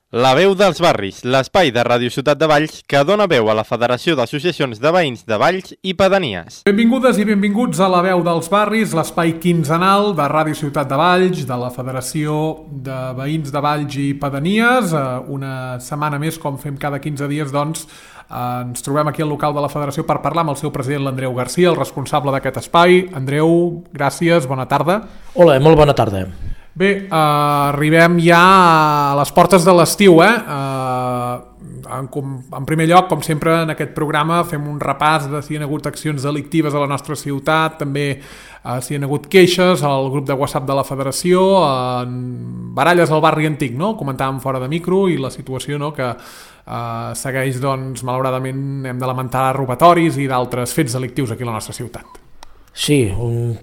La veu dels barris, l'espai de Ràdio Ciutat de Valls que dona veu a la Federació d'Associacions de Veïns de Valls i Pedanies. Benvingudes i benvinguts a La veu dels barris, l'espai quinzenal de Ràdio Ciutat de Valls, de la Federació de Veïns de Valls i Pedanies. Una setmana més, com fem cada 15 dies, doncs, ens trobem aquí al local de la Federació per parlar amb el seu president, l'Andreu Garcia, el responsable d'aquest espai. Andreu, gràcies, bona tarda. Hola, molt bona tarda. Bé, arribem ja a les portes de l'estiu, En primer lloc, com sempre, en aquest programa fem un repàs de si hi ha hagut accions delictives a la nostra ciutat, també si hi ha hagut queixes al grup de WhatsApp de la Federació, baralles al barri antic, no? Comentàvem fora de micro, i la situació, no?, que segueix, doncs, malauradament, hem de lamentar robatoris i d'altres fets delictius aquí a la nostra ciutat. Sí,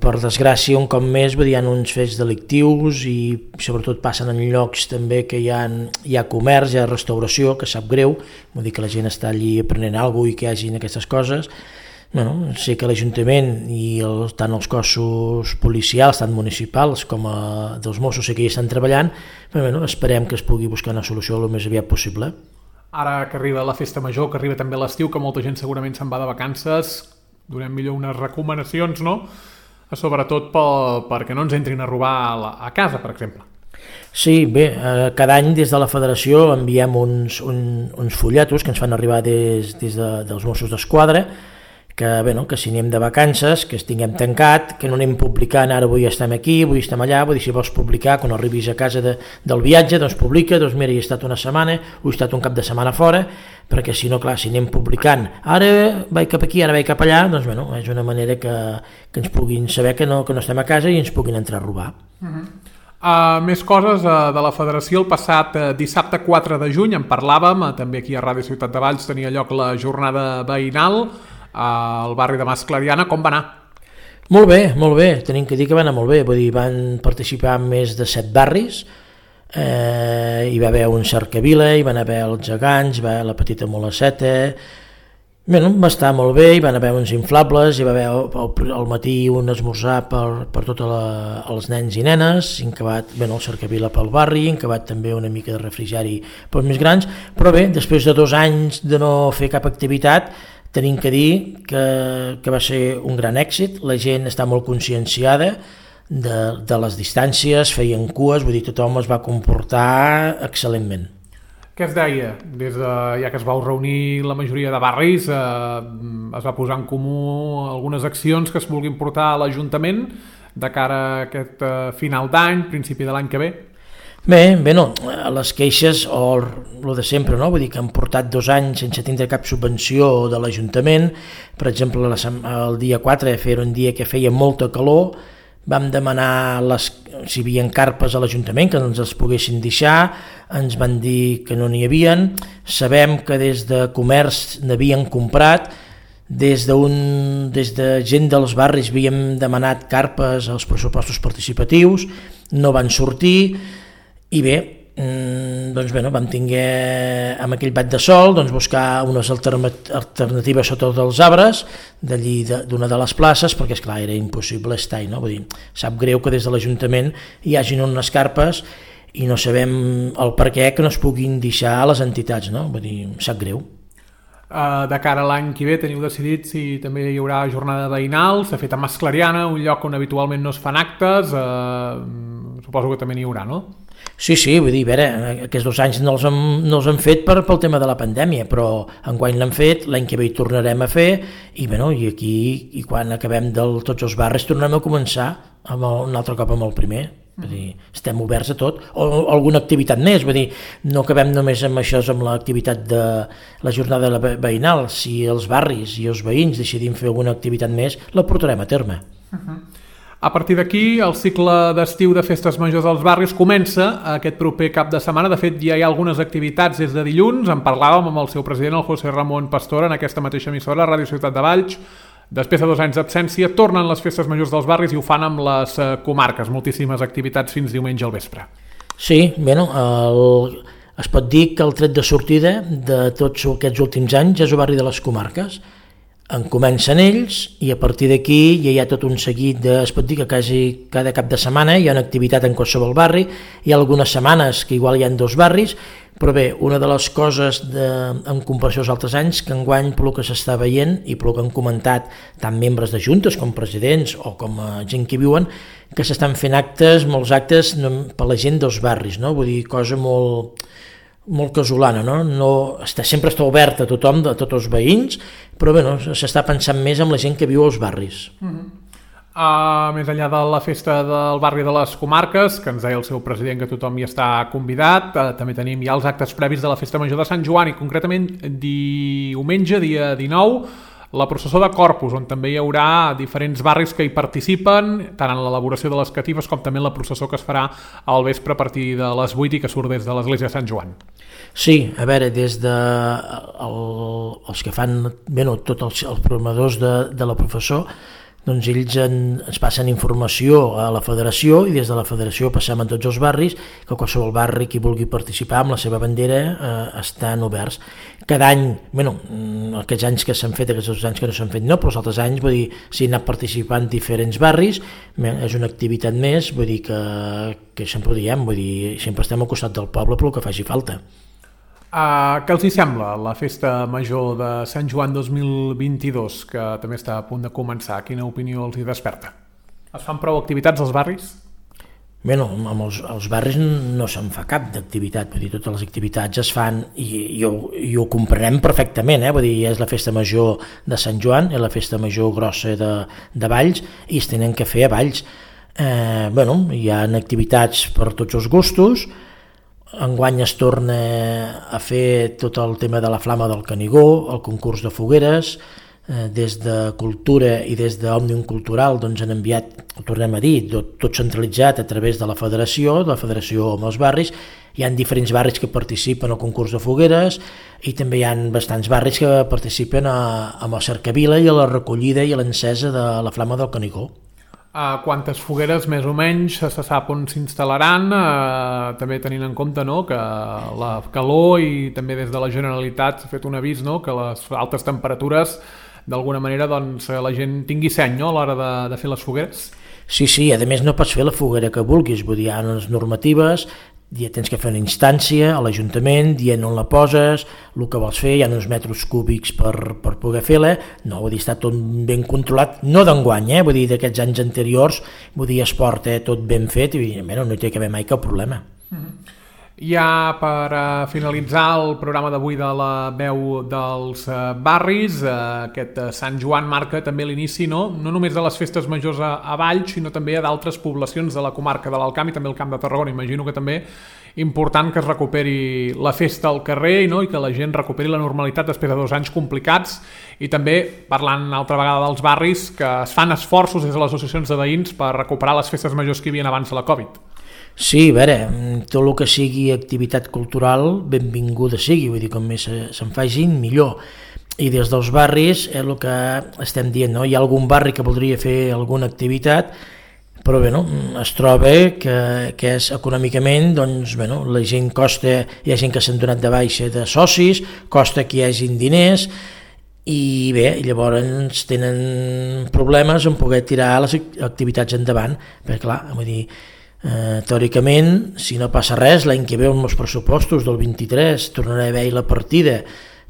per desgràcia, un cop més, hi ha uns fets delictius i sobretot passen en llocs també que hi ha comerç, hi ha restauració, que sap greu, vull dir que la gent està allí aprenent alguna cosa i que hi hagin aquestes coses. Bueno, sé que l'Ajuntament i tant els cossos policials, tant municipals com dels Mossos, sé que hi estan treballant, però bueno, esperem que es pugui buscar una solució el més aviat possible. Ara que arriba la festa major, que arriba també l'estiu, que molta gent segurament se'n va de vacances, donem millor unes recomanacions, no? Sobretot perquè no ens entrin a robar a casa, per exemple. Sí, bé, cada any des de la Federació enviem uns fulletos que ens fan arribar des dels Mossos d'Esquadra, que si anem de vacances, que estiguem tancat, que no anem publicant, ara avui estem aquí, avui estem allà, vull dir, si vols publicar, quan arribis a casa del viatge, doncs publica, doncs mira, hi he estat una setmana, o he estat un cap de setmana fora, perquè si no, clar, si anem publicant, ara vaig cap aquí, ara vaig cap allà, doncs bueno, és una manera que ens puguin saber que no estem a casa i ens puguin entrar a robar. Més coses de la Federació. El passat dissabte 4 de juny en parlàvem, també aquí a Ràdio Ciutat de Valls tenia lloc la jornada veïnal al barri de Mas Clariana. Com va anar? Molt bé, tenim que dir que va anar molt bé, vull dir, van participar més de 7 barris, hi va haver un Cercavila, hi van haver els Gegants, hi va haver la Petita Molaceta, va estar molt bé, hi van haver uns inflables, hi va haver al matí un esmorzar per tots els nens i nenes, el Cercavila pel barri, incabat també una mica de refrigeri pels més grans, però bé, després de 2 anys de no fer cap activitat, tenim que dir que va ser un gran èxit, la gent està molt conscienciada de les distàncies, feien cues, vull dir, tothom es va comportar excel·lentment. Què es deia? Ja que es vau reunir la majoria de barris, es va posar en comú algunes accions que es vulguin portar a l'Ajuntament de cara a aquest final d'any, principi de l'any que ve? Bé, les queixes o el de sempre, no? Vull dir que han portat 2 anys sense tindre cap subvenció de l'Ajuntament. Per exemple, el dia 4 era un dia que feia molta calor, vam demanar si hi havia carpes a l'Ajuntament que ens les poguessin deixar, ens van dir que no n'hi havien, sabem que des de comerç n'havien comprat, des de gent dels barris havíem demanat carpes als pressupostos participatius, no van sortir. I bé, vam tinguer amb aquell bat de sol buscar unes alternatives sota dels arbres d'allí d'una de les places, perquè esclar era impossible estar-hi, no? Vull dir, sap greu que des de l'Ajuntament hi hagin unes carpes i no sabem el per què que no es puguin deixar a les entitats, no? Vull dir, sap greu. De cara a l'any que ve teniu decidit si també hi haurà jornada veïnal. S'ha fet a Mas Clariana, un lloc on habitualment no es fan actes, suposo que també n'hi haurà, no? Sí, vull dir, a veure, aquests 2 anys no els hem fet pel tema de la pandèmia, però enguany l'hem fet, l'any que ve hi tornarem a fer, i aquí, i quan acabem tots els barris, tornem a començar un altre cop amb el primer. Vull dir, estem oberts a tot, o alguna activitat més, vull dir, no acabem només amb això, amb l'activitat de la jornada veïnal. Si els barris i els veïns decidim fer alguna activitat més, la portarem a terme. A partir d'aquí, el cicle d'estiu de festes majors als barris comença aquest proper cap de setmana. De fet, ja hi ha algunes activitats des de dilluns. En parlàvem amb el seu president, el José Ramón Pastor, en aquesta mateixa emissora, Ràdio Ciutat de Valls. Després de 2 anys d'absència, tornen les festes majors dels barris i ho fan amb les comarques. Moltíssimes activitats fins diumenge al vespre. Sí, es pot dir que el tret de sortida de tots aquests últims anys és el barri de les comarques. En comencen ells i a partir d'aquí ja hi ha tot un seguit es pot dir que quasi cada cap de setmana hi ha una activitat en qualsevol barri. Hi ha algunes setmanes que igual hi ha 2 barris, Però bé, una de les coses en comparació als altres anys, que enguany pel que s'està veient i pel que han comentat tant membres de juntes com presidents o com gent que viuen, que s'estan fent molts actes per la gent dels barris, no? Vull dir, cosa molt casolana, no? Sempre està oberta a tothom, a tots els veïns, però bé, s'està pensant més en la gent que viu als barris. Més enllà de la festa del barri de les Comarques, que ens deia el seu president que tothom hi està convidat, també tenim ja els actes previs de la Festa Major de Sant Joan i concretament diumenge, dia 19, la processó de Corpus, on també hi haurà diferents barris que hi participen, tant en l'elaboració de les catives com també en la processó que es farà al vespre a partir de les 8 i que surt des de l'església de Sant Joan. Sí, a veure, des de els que fan, tots els programadors de la processó, doncs ells ens passen informació a la federació i des de la federació passem a tots els barris, que qualsevol barri que vulgui participar amb la seva bandera estan oberts. Cada any, aquests anys que s'han fet, aquests 2 anys que no s'han fet no, però els altres anys, vull dir, s'hi han anat participant diferents barris, és una activitat més, vull dir que sempre ho diem, vull dir, sempre estem al costat del poble pel que faci falta. Què els hi sembla la Festa Major de Sant Joan 2022, que també està a punt de començar? Quina opinió els hi desperta? Es fan prou activitats als barris? Als barris no se'n fa cap d'activitat, vull dir, totes les activitats es fan i ho comprenem perfectament, vull dir, és la Festa Major de Sant Joan, és la Festa Major grossa de Valls i es tenen que fer a Valls. Hi ha activitats per tots els gustos. Enguany es torna a fer tot el tema de la Flama del Canigó, el concurs de fogueres, des de Cultura i des d'Òmnium Cultural doncs han enviat, ho tornem a dir, tot centralitzat a través de la federació amb els barris. Hi ha diferents barris que participen al concurs de fogueres i també hi ha bastants barris que participen amb la cercavila i a la recollida i a l'encesa de la Flama del Canigó. Quantes fogueres més o menys se sap on s'instal·laran, també tenint en compte que la calor i també des de la Generalitat s'ha fet un avís que les altes temperatures d'alguna manera la gent tingui seny a l'hora de fer les fogueres? Sí, a més no pots fer la foguera que vulguis, vull dir, hi ha unes normatives, ja tens que fer una instància a l'Ajuntament dient on la poses, el que vols fer, hi ha uns metres cúbics per poder fer-la, vull dir, està tot ben controlat, no d'enguany, vull dir, d'aquests anys anteriors, vull dir, es porta tot ben fet i no hi té que haver mai cap problema. Ja per finalitzar el programa d'avui de la veu dels barris, aquest Sant Joan marca també l'inici no només de les festes majors a Valls, sinó també a d'altres poblacions de la comarca de l'Alt Camp i també el Camp de Tarragona. Imagino que també important que es recuperi la festa al carrer i que la gent recuperi la normalitat després de 2 anys complicats i també parlant altra vegada dels barris que es fan esforços des de les associacions de veïns per recuperar les festes majors que hi havia abans de la Covid. Sí, a veure, tot el que sigui activitat cultural, benvinguda sigui, vull dir, com més se'n facin, millor. I des dels barris, és el que estem dient, hi ha algun barri que voldria fer alguna activitat, però es troba que és econòmicament, la gent costa, hi ha gent que s'han donat de baixa de socis, costa que hi hagin diners, i bé, llavors tenen problemes en poder tirar les activitats endavant, perquè clar, vull dir, teòricament, si no passa res, l'any que ve amb els pressupostos del 23 tornarà a haver la partida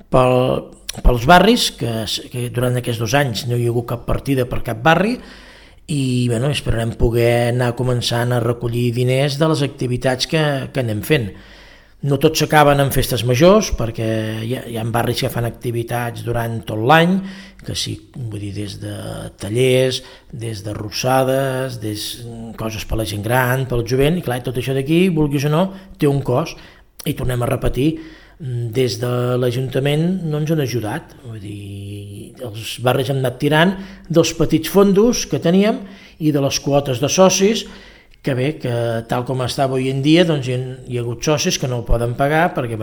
pels barris, que durant aquests 2 anys no hi ha hagut cap partida per cap barri, i esperarem poder anar començant a recollir diners de les activitats que anem fent. No tots s'acaben en festes majors, perquè hi ha barris que fan activitats durant tot l'any, que sí, vull dir, des de tallers, des de rossades, coses per la gent gran, pel jovent, i clar, tot això d'aquí, vulguis o no, té un cost. I tornem a repetir, des de l'Ajuntament no ens han ajudat, vull dir, els barris hem anat tirant dels petits fondos que teníem i de les quotes de socis, que bé, que tal com està avui en dia doncs hi ha hagut socis que no ho poden pagar perquè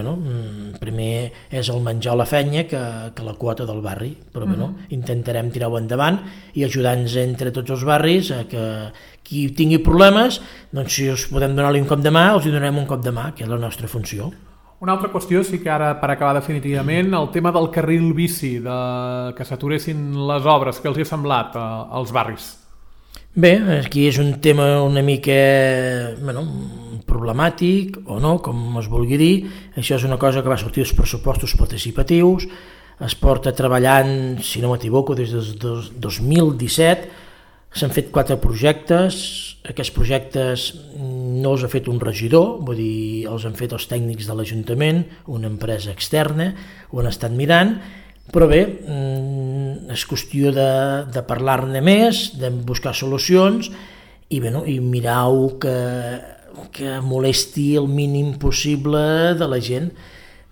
primer és el menjar o la fenya que la quota del barri, però intentarem tirar-ho endavant i ajudar-nos entre tots els barris a que qui tingui problemes, doncs si us podem donar-li un cop de mà, els donarem un cop de mà, que és la nostra funció. Una altra qüestió, sí que ara per acabar definitivament, el tema del carril bici, que s'aturessin les obres, què els hi ha semblat als barris? Bé, aquí és un tema una mica problemàtic o no, com es vulgui dir. Això és una cosa que va sortir dels pressupostos participatius, es porta treballant, si no m'equivoco, des del 2017, s'han fet 4 projectes, aquests projectes no els ha fet un regidor, vull dir, els han fet els tècnics de l'Ajuntament, una empresa externa, ho han estat mirant, però bé, és qüestió de parlar-ne més, de buscar solucions i mirar-ho que molesti el mínim possible de la gent.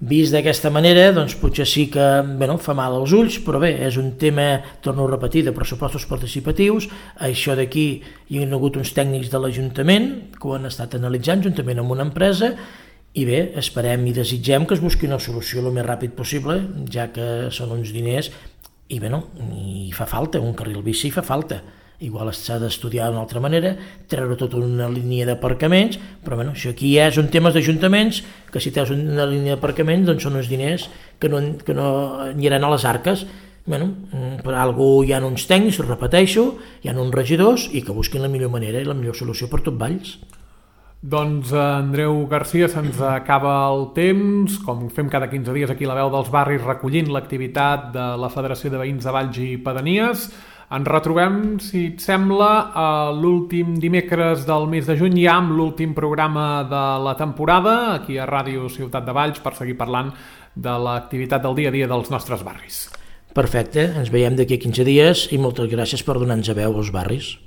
Vist d'aquesta manera, doncs potser sí que fa mal als ulls, però bé, és un tema, torno a repetir, de pressupostos participatius. Això d'aquí hi ha hagut uns tècnics de l'Ajuntament que ho han estat analitzant juntament amb una empresa i bé, esperem i desitgem que es busqui una solució el més ràpid possible, ja que són uns diners i fa falta, un carril bici fa falta. Igual s'ha d'estudiar d'una altra manera, treure tota una línia d'aparcaments, però això aquí ja són temes d'ajuntaments, que si treus una línia d'aparcaments doncs són uns diners que no aniran a les arques. Per alguna hi ha uns tècnics, ho repeteixo, hi ha uns regidors i que busquin la millor manera i la millor solució per tot Valls. Doncs Andreu Garcia, se'ns acaba el temps, com fem cada 15 dies aquí a la Veu dels Barris recollint l'activitat de la Federació de Veïns de Valls i Pedanies. Ens retrobem, si et sembla, l'últim dimecres del mes de juny ja amb l'últim programa de la temporada aquí a Ràdio Ciutat de Valls per seguir parlant de l'activitat del dia a dia dels nostres barris. Perfecte, ens veiem d'aquí a 15 dies i moltes gràcies per donar-nos a veu als barris.